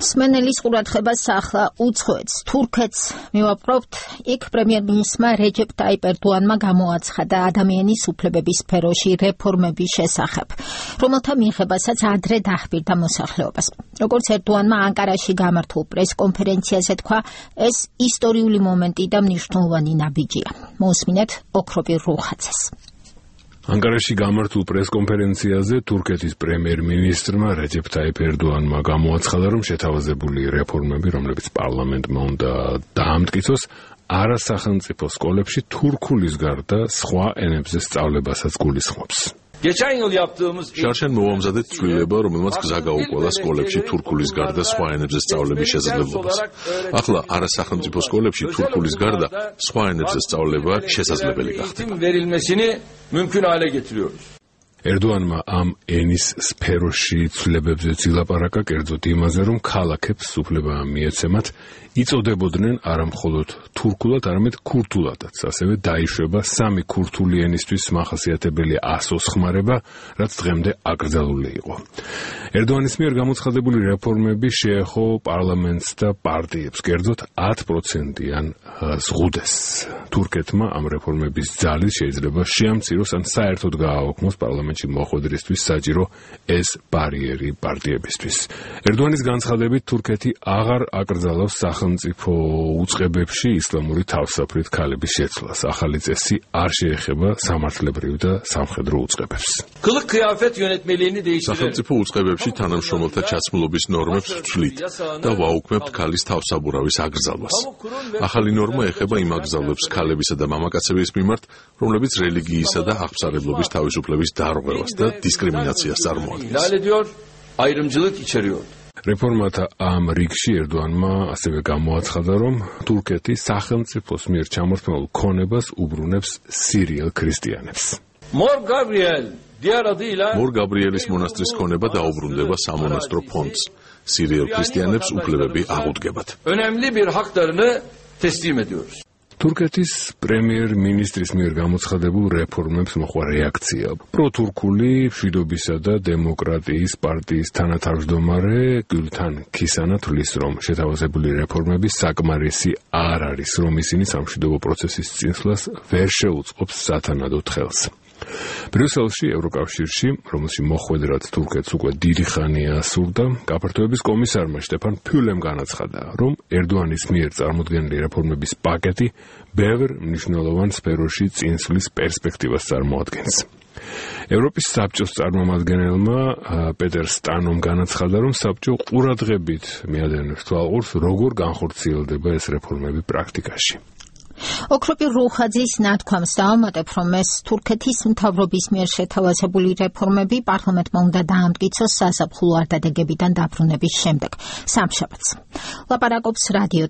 სმენელის ყურადღებას ახლა უცხოეთს, თურქეთს მივაპყრობთ. იქ პრემიერ-მინისტრმა რეჯეპ ტაიპ ერდოანმა გამოაცხადა ადამიანის უფლებების სფეროში რეფორმების შესახებ, რომელთა მიღებასაც ადრე დაჰბირდა მოსახლეობას. როგორც ერდოანმა ანკარაში გამართულ პრესკონფერენციაზე თქვა, ეს ისტორიული მომენტი და მნიშვნელოვანი ნაბიჯია. მოусმინეთ ოქროპირ რუხაძეს. ანკარაში გამართულ პრესკონფერენციაზე თურქეთის პრემიერ-მინისტრმა რეჯეპ ტაიპ ერდოანმა გამოაცხადა, რომ შეთავაზებული რეფორმები, რომლებიც პარლამენტმა უნდა დაამტკიცოს, არასახელმწიფო სკოლებში თურქულის გარდა სხვა ენებზე სწავლებასაც გულისხმობს. შარშან მოვამზადეთ ცვლილება, რომელმაც გზა გაუკვალა სკოლებში თურქულის გარდა სხვა ენებზე სწავლების შესაძლებლობას. ახლა არასახელმწიფო სკოლებში თურქულის გარდა სხვა ენებზე სწავლება შესაძლებელი გახდება. ერდოანმა ამ ენის სფეროში ცვლილებებზე ილაპარაკა, კერძოდ იმაზე, რომ ქალაქებს უფლება მიეცემათ იწოდებოდნენ არა მხოლოდ თურქულად, არამედ ქურთულადაც. ასევე დაიშვება სამი ქურთული ენისთვის მახასიათებელი ასოს ხმარება, რაც დღემდე აკრძალული იყო. ერდოანის მიერ გამოცხადებული რეფორმები შეეხო პარლამენტს და პარტიებს, კერძოდ 10%-იან ზღუდეს. თურქეთმა ამ რეფორმების ძალის შეიძლება შეამციროს ან საერთოდ გააოქმოს პარლამენტში მოხვედრისთვის საჭირო ეს ბარიერი პარტიებისთვის. ერდოანის განცხადებით თურქეთი აღარ აკრძალავს სახელმწიფო უწყებებში ისლამური თავსაფრით ქალების შეცვლას. ახალი წესი არ შეეხება სამართლებრივ და სამხედრო უწყებებს. სახელმწიფო უწყებებში თანამშრომელთა ჩაცმულობის ნორმებს ვცვლით და ვაუქმებთ ქალის თავსაბურავის აკრძალვას. ახალი ნორმა ეხება იმ აკრძალვებს ქალებისა და მამაკაცების მიმართ, რომლებიც რელიგიისა და აღსარებლობის თავისუფლების დარღვევას და დისკრიმინაციას წარმოადგენს. რეფორმათა ამ რიგში ერდოანმა ასევე გამოაცხადა, რომ თურქეთი სახელმწიფოს მიერ ჩამორთმეულ ქონებას უბრუნებს სირიელ ქრისტიანებს. მორ გაბრიელის მონასტრის ქონება დაუბრუნდება სამონასტრო ფონდს. სირიელ ქრისტიანებს უფლებები აღუდგებათ. თურქეთის პრემიერ-მინისტრის მიერ გამოცხადებულ რეფორმებს მოყვა რეაქცია. პროთურქული მშვიდობისა და დემოკრატიის პარტიის თანათავმჯდომარე გულთან ქისანა თვლის, რომ შეთავაზებული რეფორმები საკმარისი არ არის, რომ ისინი სამშვიდობო პროცესის წინსვლას ვერ შეუწყობს სათანადოდ ხელს. ბრიუსელში, ევროკავშირში, რომელში მოხვედრად თურქეთს უკვე დიდი ხანია სურდა, გაფართოების კომისარმა შტეფან ფიულემ განაცხადა, რომ ერდოანის მიერ წარმოდგენილი რეფორმების პაკეტი ბევრ მნიშვნელოვან სფეროში წინსვლის პერსპექტივას წარმოადგენს. ევროპის საბჭოს წარმომადგენელმა პეტერ სტანომ განაცხადა, რომ საბჭო ყურადღებით მიადენებს თვალყურს, როგორ განხორციელდება ეს რეფორმები პრაქტიკაში. ოქროპირ რუხაძის ნათქვამს დავამატებ, რომ ეს თურქეთის მთავრობის მიერ შეთავაზებული რეფორმები პარლამენტმა უნდა დაამტკიცოს საზაფხულო არდადეგებიდან დაბრუნების შემდეგ, სამშაბათს. ლაპარაკობს რადიო